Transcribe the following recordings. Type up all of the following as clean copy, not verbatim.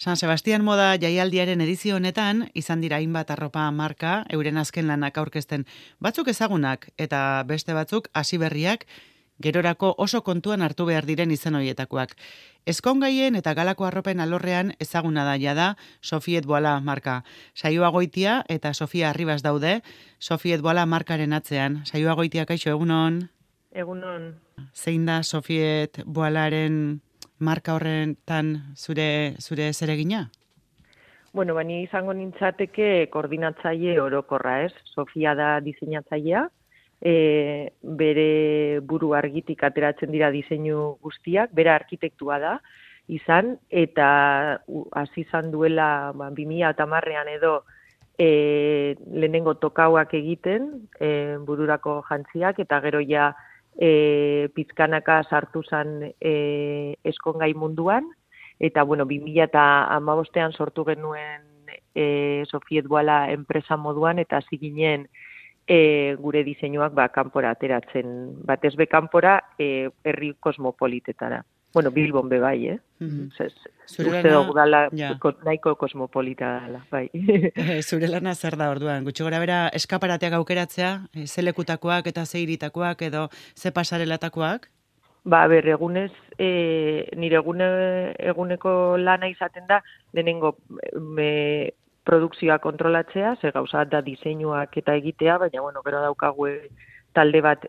San Sebastian moda jaialdiaren edizio honetan, izan dira hainbat arropa marka, euren azken lanak aurkezten batzuk ezagunak eta beste batzuk hasiberriak, gerorako oso kontuan hartu behar diren izen horietakoak. Ezkongaien eta galako arropen alorrean ezaguna da jada Sofiet Boala marka. Saioa Goitia eta Sofia Arribas daude Sofiet Boala markaren atzean. Saioa Goitia, kaixo, egunon? Egunon. Zein da Sofiet Boalaren marka horretan zure zeregina? Bueno, bani izango nintzateke koordinatzaile orokorra, ez? Sofia da diseinatzailea, bere buru argitik ateratzen dira diseinu guztiak, bere arkitektua da izan, eta hasi izan duela 2010ean edo lehenengo tokauak egiten, bururako jantziak, eta gero ja pizkanaka sartu zen ezkongai munduan, eta bueno, 2015ean sortu genuen Sofiet Boala enpresa moduan, eta hasi ginen gure diseinuak kanpora ateratzen, batez be kanpora herri kosmopolitetara. Bueno, Bilbon be bai, Uste dugu dala nahiko kosmopolita dala, bai. Zure lana zer da orduan? Gutxi gora bera eskaparateak aukeratzea, ze lekutakoak eta ze hiritakoak edo ze pasarelatakoak? Egunez, nire eguneko lana izaten da, lehenengo produkzioa kontrolatzea, ze gauza da diseinuak eta egitea, baina bueno, gero daukagu talde bat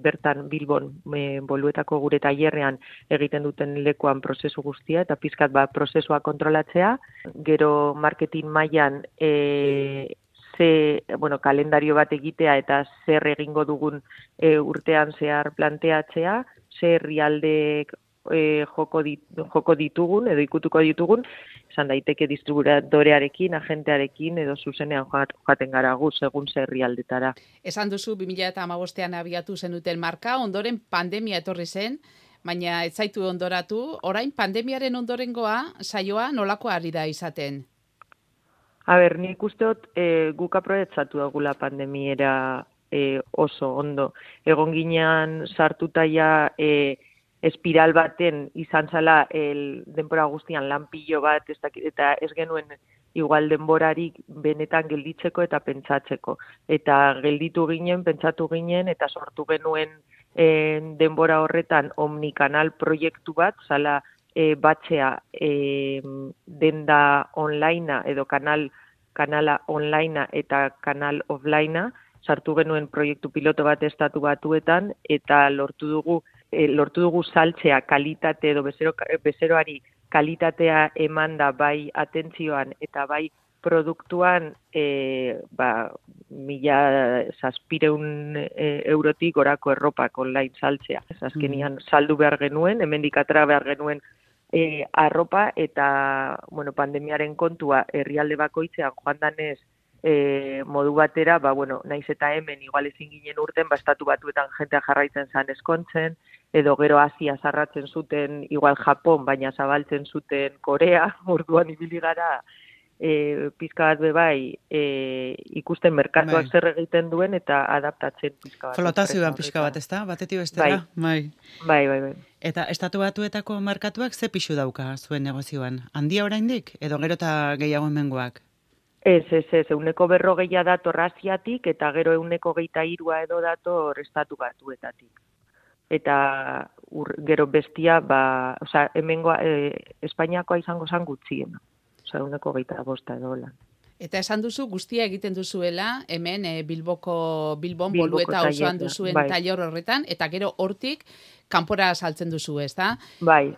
bertan Bilbon Boluetako gure tailerrean egiten duten lekuan prozesu guztia, eta pizkat prozesua kontrolatzea, gero marketing mailan kalendario bat egitea eta zer egingo dugun urtean zehar planteatzea, zer herrialdeek joko ditugun edo ikutuko ditugun, esan daiteke distribuidorearekin, agentearekin edo zuzenean joaten gara gu segun zer herrialdetara. Esan duzu 2015ean abiatu zenuten marka, ondoren pandemia etorri zen, baina ez zaitu ondoratu, orain pandemiaren ondorengoa saioa nolako ari da izaten? Nik usteot guk aprobetxatu dugula pandemiera oso ondo. Egon ginean sartuta ja espiral baten izan zala denbora guztian lan pilo bat, eta ez genuen igual denborarik benetan gelditzeko eta pentsatzeko. Eta gelditu ginen, pentsatu ginen, eta sortu genuen denbora horretan omnikanal proiektu bat, zala batzea denda onlinea edo kanala onlinea eta kanal offlinea, sartu genuen proiektu piloto bat estatu batuetan, eta lortu dugu saltzea kalitate edo bezeroari kalitatea emanda bai atentzioan eta bai produktuan 1.700 eurotik gorako erropak online saltzea. Azkenian saldu behar genuen, hemendik atera behar genuen arropa, eta pandemiaren kontua herrialde bakoitzean joan danez modu batera, naiz eta hemen igual ezin ginen urten, estatu batuetan jentea jarraitzen zan eskontzen, edo gero Asia zarratzen zuten igual Japon, baina zabaltzen zuten Korea, orduan ibili gara pizka bat bebai ikusten merkatuak zer egiten duen eta adaptatzen pizka bat. Flotazioan pizka bat, ezta? Batetik bestera? Bai. Eta estatu batuetako merkatuak ze pixu dauka zuen negozioan? Handia oraindik edo gero eta gehiago hemengoak? Ez, 140 dator Asiatik, eta gero 123 edo dator estatu batuetatik. Eta gero bestia, hemengoa, Espainiakoa izango zan gutxiena. 125 edo lan. Eta esan duzu guztia egiten duzuela, hemen Bilbon Bolueta osoan duzuen tailer horretan, eta gero hortik kanpora saltzen duzu, ezta? Bai.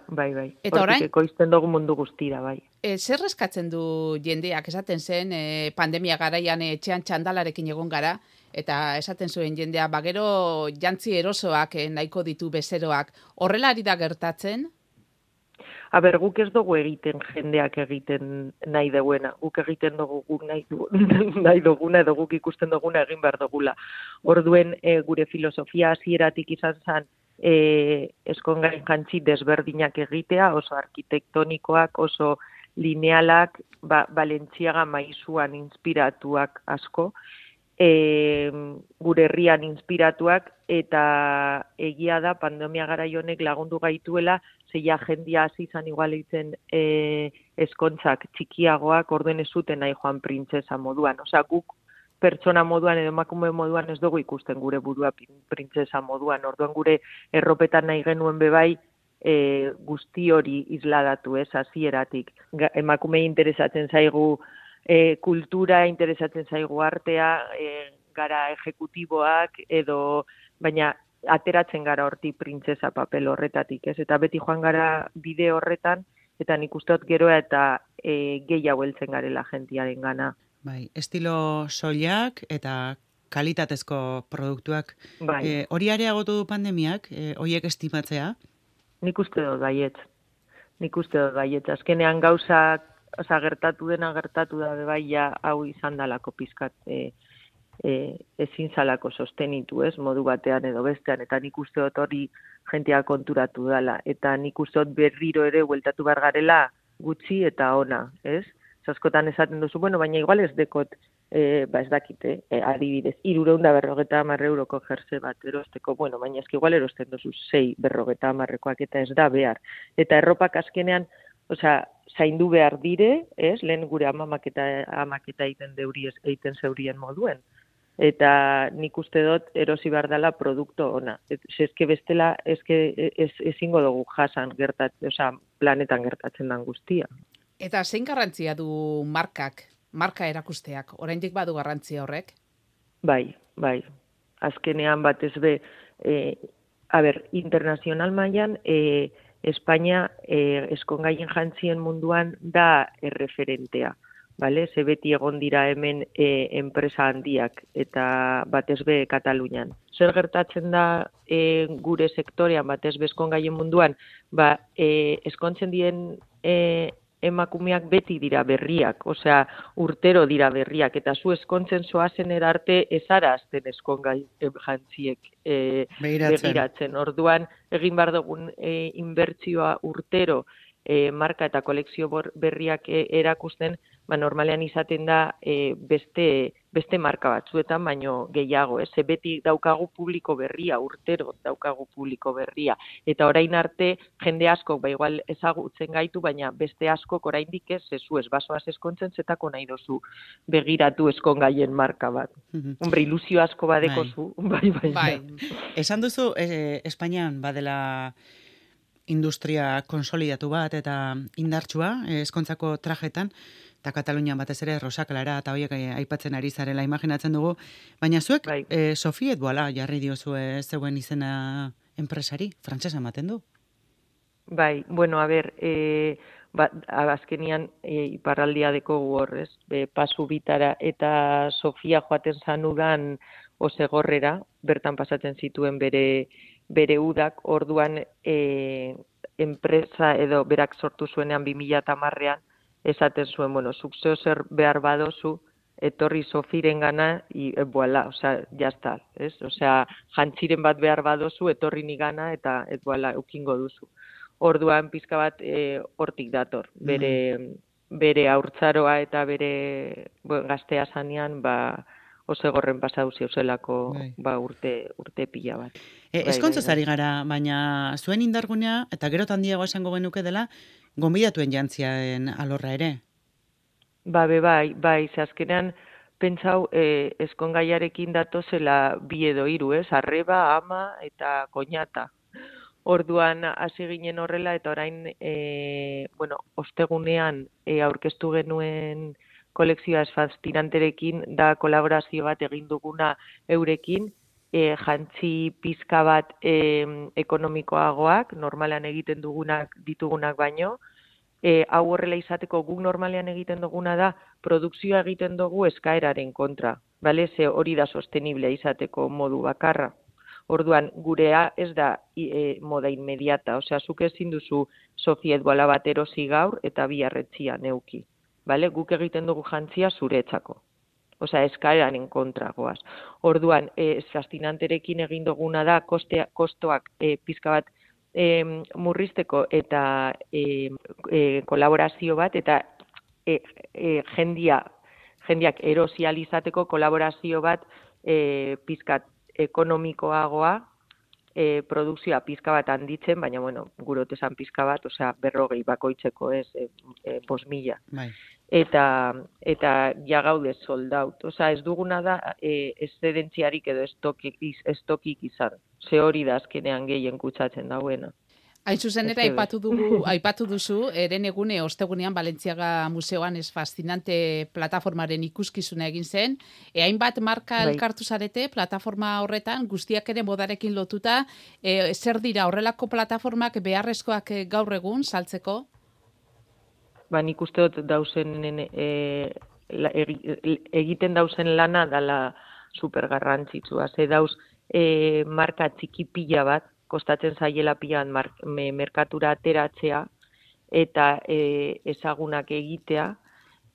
Eta orain, hortik ekoizten dugu mundu guztira, bai. Zer eskatzen du jendeak, esaten zen, pandemia garaian etxean txandalarekin egon gara, eta esaten zuen jendea, gero jantzi erosoak nahiko ditu bezeroak, horrela ari da gertatzen? Guk ez dugu egiten jendeak egiten nahi duena. Guk egiten dugu guk nahi duguna edo guk ikusten duguna egin behar dugula. Orduen gure filosofia hasieratik izan zen ezkongain jantzi desberdinak egitea, oso arkitektonikoak, oso linealak, Balentziaga maizuan inspiratuak asko, gure herrian inspiratuak, eta egia da pandemia garai honek lagundu gaituela zeia jendia hasi izan igual egiten eskontzak txikiagoak, orduen ez zuten nahi joan printzesa moduan. Osea, guk pertsona moduan edo emakume moduan ez dugu ikusten gure burua printzesa moduan. Orduan gure erropetan nahi genuen bebai guzti hori isladatu, hasieratik. Emakumei interesatzen zaigu kultura, interesatzen zaigu artea, gara ejekutiboak edo, baina ateratzen gara horti printzesa papel horretatik, eta beti joan gara bide horretan, eta nik usteot geroa eta gehiago heltzen garela jentiaren gana. Bai, estilo soilak eta kalitatezko produktuak. Bai. Hori areagotu du pandemiak, horiek estimatzea? Nik uste dut baietz. Azkenean gauzak, gertatu da bai ja hau izan dalako pizkat ezin zalako sostenitu, modu batean edo bestean, eta nik uste dut hori jentea konturatu dela, eta nik uste dut berriro ere bueltatu behar garela gutxi eta ona, Zaskotan esaten duzu, baina igual ez dekot, ez dakite, adibidez, 350 euroko jerse bat erosteko, baina eski igual erosten duzu 650 eta ez da behar. Eta erropak azkenean, zaindu behar dire, lehen gure amak eta egiten zeurien moduen. Eta nik uste dut erosi behar dela produktu ona. Eske bestela, ezingo dugu jasan planetan gertatzen den guztia. Eta zein garrantzia du marka erakusteak? Oraindik badu garrantzia horrek? Bai. Azkenean batez be, internazional mailan, Espainia eskongaien jantzien munduan da erreferentea. Ze beti egon dira hemen enpresa handiak eta batez be Katalunian. Zer gertatzen da gure sektorean batez be eskongaien munduan, eskontzen diren emakumeak beti dira berriak, urtero dira berriak, eta zu eskontzen zoazen erarte ezara azten eskongai jantziek begiratzen. Orduan, egin behar dugun inbertsioa urtero marka eta kolekzio berriak erakusten, normalean izaten da beste marka batzuetan, baino gehiago, beti daukagu publiko berria, urtero daukagu publiko berria, eta orain arte jende askok igual ezagutzen gaitu, baina beste askok oraindik ez basoaz eskontzen zetako nahi dozu begiratu eskongaien marka bat. Hombre, ilusio asko badekozu. Bai. Esan duzu, Espainian badela industria konsolidatu bat eta indartsua, eskontzako trajetan, eta Katalunian batez ere Rosa Clara eta horiek aipatzen ari zarela imaginatzen dugu, baina zuek Sofiet Boala jarri diozue zeuen izena enpresari, frantsesa ematen du? Bai, azkenian iparraldia dekogu hor, pasu bitara, eta Sofia joaten zanudan Osegorrera, bertan pasatzen zituen bere udak, orduan enpresa edo berak sortu zuenean 2010ean, esaten zuen, zuk zer behar badozu, etorri Sofiren gana, voilà, jazta, jantziren bat behar badozu, etorri ni gana, eta voilà, eukingo duzu. Orduan pizka bat hortik dator, bere haurtzaroa eta bere gaztea zanean, Osegorren pasau zeuzelako urte pila bat. Eskontzaz ari gara, baina zuen indargunea, eta gero handiago esango genuke dela, gonbidatuen jantziaen alorra ere? Bai, azkenean pentsau eskongaiarekin datozela 2 edo 3, arreba, ama eta koñata. Orduan hasi ginen horrela eta orain ostegunean aurkeztu genuen kolekzioa fascinanterekin da kolaborazio bat egin duguna eurekin, jantzi pizka bat ekonomikoagoak, normalan egiten ditugunak baino, hau horrela izateko guk normalean egiten duguna da, produkzioa egiten dugu eskaeraren kontra, ze hori da sostenible izateko modu bakarra. Orduan, gurea ez da moda inmediata, zuk ezin duzu Sofiet Boala bat erosi gaur eta biharretzia neuki. Guk egiten dugu jantzia zuretzako. Eskaeraren kontra goaz. Orduan, fascinanterekin egin duguna da, kostoak pizka bat murrizteko eta kolaborazio bat, eta jendiak erosializateko kolaborazio bat pizkat ekonomikoagoa, produkzioa pizka bat handitzen, baina, bueno, gurote esan pizka bat, osea, 40 bakoitzeko, ez, 5.000. Bai. Eta ja gaude sold out. Osea, ez duguna da eszedentziarik edo estokik izan. Ze hori da azkenean gehien kutsatzen dauena. Hain zuzen ere, aipatu duzu, eren egune, ostegunean, Balentziaga Museoan fascinante plataformaren ikuskizuna egin zen. Hainbat marka elkartu zarete, plataforma horretan, guztiak ere modarekin lotuta, zer dira horrelako plataformak beharrezkoak gaur egun saltzeko? Nik uste dut dauzen, egiten dauzen lana dala supergarrantzitsua. Ze dauz marka txiki pila bat, kostatzen zaiela pilan merkatura ateratzea eta ezagunak egitea,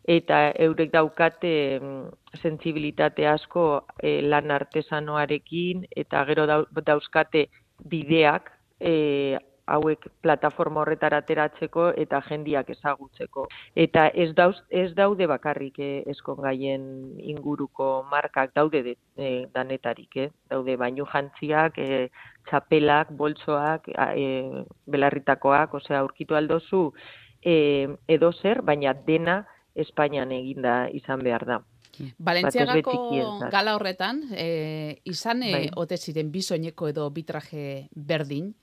eta eurek daukate sentsibilitate asko lan artesanoarekin, eta gero dauzkate bideak hauek plataforma horretara ateratzeko eta jendiak ezagutzeko. Eta ez daude bakarrik ezkongaien inguruko markak, daude danetarik, daude bainu jantziak, txapelak, boltsoak, belarritakoak, osea, aurkitu aldozu edo zer, baina dena Espainian eginda izan behar da. Balentziagako gala horretan, izan ote ziren bi soineko edo bi traje berdin,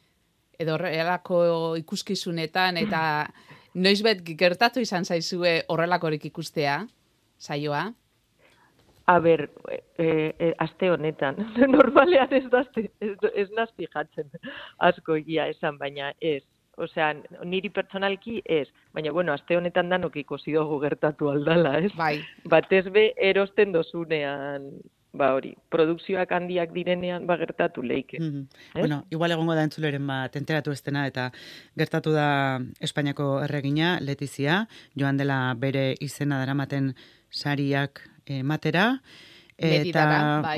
edo horrelako ikuskizunetan, eta noizbet gertatu izan zaizue horrelakorik ikustea, saioa? A ber, aste honetan, normalean ez naz fijatzen asko egia esan, baina ez. Osea, niri pertsonalki ez, baina, bueno, aste honetan danok ikusi dugu gertatu aldala, ez? Bai. Batez be, erosten dozunean, hori, produkzioak handiak direnean, gertatu leike. Bueno, igual egongo da entzuleren bat enteratu estena, eta gertatu da Espainiako erregina, Letizia, joan dela bere izena daramaten sariak matera, eta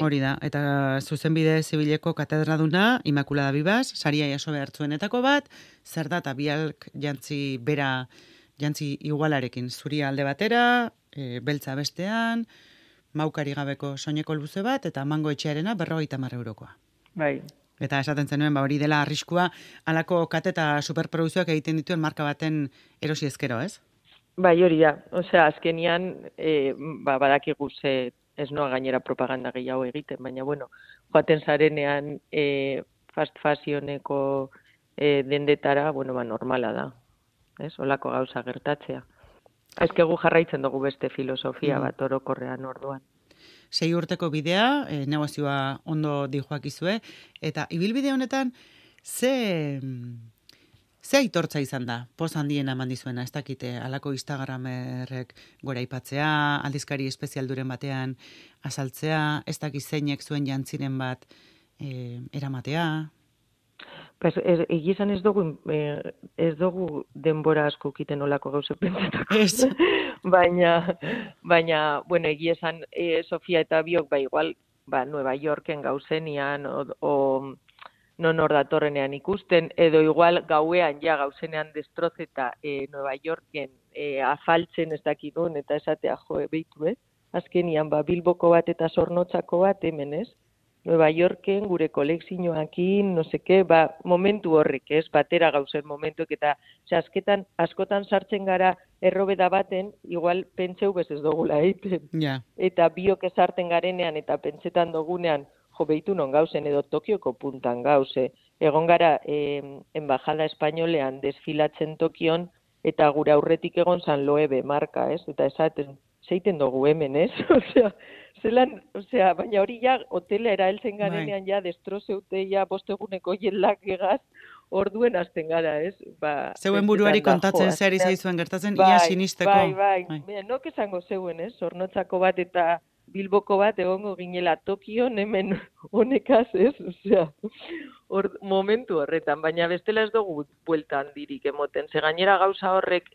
hori da, eta zuzenbide zibileko katedraduna, Immaculada Vivas, saria jaso behartzuenetako bat, zer da, eta bialk jantzi igualarekin, zuria alde batera, beltza bestean, maukari gabeko soineko luze bat, eta mango etxearena 50 eurokoa. Bai. Eta esaten zenuen, hori dela arriskua, alako kate eta superprodukzioak egiten dituen marka baten erosi ezkero, ez? Bai, hori da. Osea, azkenian, badakigu ze ez noa gainera propaganda gehiago egiten, baina, bueno, joaten zarenean fast fashioneko dendetara, bueno, normala da. Ez, olako gauza gertatzea. Ezkegu jarraitzen dugu beste filosofia bat orokorrean orduan. 6 urteko bidea, negozioa ondo dijoakizue, eta ibilbide honetan, ze aitortza izan da, poz handien eman dizuena, ez dakite, alako Instagramerrek gora aipatzea, aldizkari espezialduren batean azaltzea, ez dakit zeinek zuen jantziren bat eramatea? Egizan ez dugu denbora asko kiten olako gauze pentsetako. Ez. Baina, bueno, egizan Sofia eta biok, igual, Nueva Yorken gauzenian, non hor datorrenean ikusten, edo igual gauean gauzenean destrozeta Nueva Yorken afaltzen ez dakidun, eta esatea behitu, azkenian, Bilboko bat eta Zornotzako bat hemen, ez? Nueva Yorken, gure kolekzioakin, no seke, momentu horrek, ez, batera gauzen momentuek, eta asketan, askotan sartzen gara errobeda baten, igual pentseu bez ez dugula egiten. Yeah. Eta biok esarten garenean, eta pentsetan dugunean, behitu non gauzen, edo Tokioko puntan gauze. Egon gara, embajada espainolean desfilatzen Tokion, eta gure aurretik egon San Loebe marka, ez? Eta esaten, zeiten dugu hemen, ez? Osea, baina hori hotela eraeltzen garenean destrozeute bosteguneko jelak egaz, orduen hasten gara, ez? Zeuen buruari kontatzen zehari zaizuen gertatzen, ia sinisteko. Bai. Nok esango zeuen, ez? Zornotzako bat eta Bilboko bat egongo ginela Tokion, hemen honekaz, ez? Osea, momentu horretan, baina bestela ez dugu bueltan dirik emoten. Ze gainera gauza horrek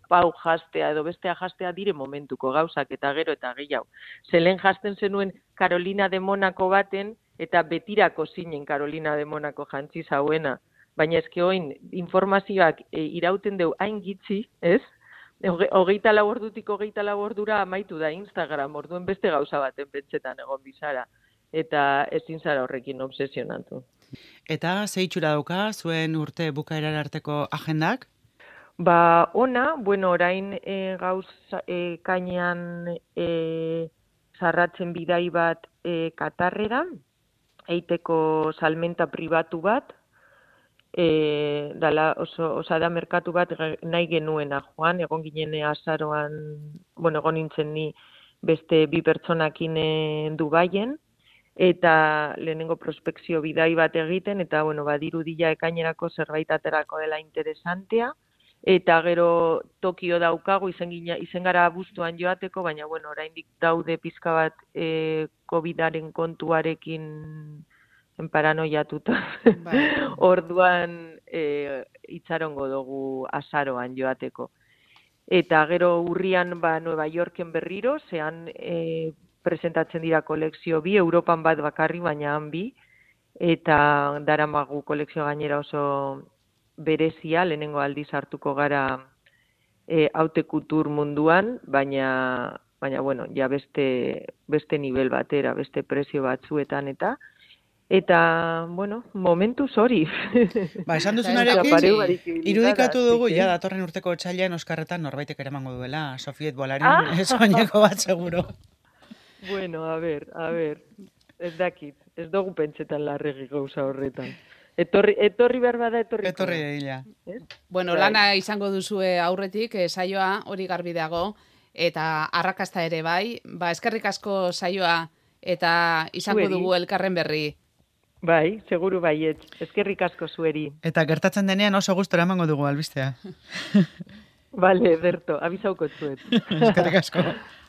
pau jastea edo bestea jastea dire momentuko gauzak eta gero eta gehiago. Zelen jasten zenuen Carolina de Monaco baten eta betirako zinen Carolina de Monaco jantzi zauena. Baina ezke oin informazioak irauten deu hain gitzi, ez? 24 ordutik 24 ordura amaitu da Instagram, orduen beste gauza baten pentsetan egon bizara. eta ezin zara horrekin obsesionatu. Eta ze itxura dauka zuen urte bukaerara arteko agendak? Ba, ona, bueno, orain gauz kainean zarratzen bidai bat Katarrera, eiteko salmenta pribatu bat, dala oso da merkatu bat nahi genuena joan, egon ginen azaroan, bueno, egon nintzen ni beste 2 pertsonakin Dubaien, eta lehenengo prospekzio bidai bat egiten, eta, bueno, badirudila ekainerako zerbait aterako dela interesantea, eta gero Tokio daukagu, izen gara abuztuan joateko, baina, bueno, oraindik daude pizka bat COVID-aren kontuarekin paranoiatuta. Bai. Orduan itxarongo dugu azaroan joateko. Eta gero urrian Nueva Yorken berriro, zean presentatzen dira kolekzio 2, Europan bat bakarri, baina han 2, eta daramagu kolekzio gainera oso berezia, lehenengo aldiz hartuko gara haute kultur munduan, baina bueno, ja beste nivel batera, beste prezio batzuetan eta bueno, momentuz hori. Ba, esan duzunarekin, irudikatu dugu, ja, datorren urteko otsailean Oskarretan norbaitek eramango duela, Sofiet Bolarin, soineko bat seguro. Bueno, a ver, ez dakit, ez dugu pentsetan larregi gauza horretan. Etorri behar bada, etorri dira. Bueno, lana izango duzue aurretik, saioa hori garbi dago, eta arrakasta ere bai, ba, eskerrik asko saioa, eta izango dugu elkarren berri. Bai, seguru baiet, eskerrik asko zueri. Eta gertatzen denean oso gustora emango dugu albistea. Vale, Berto, abizauko zuet. Eskerrik asko.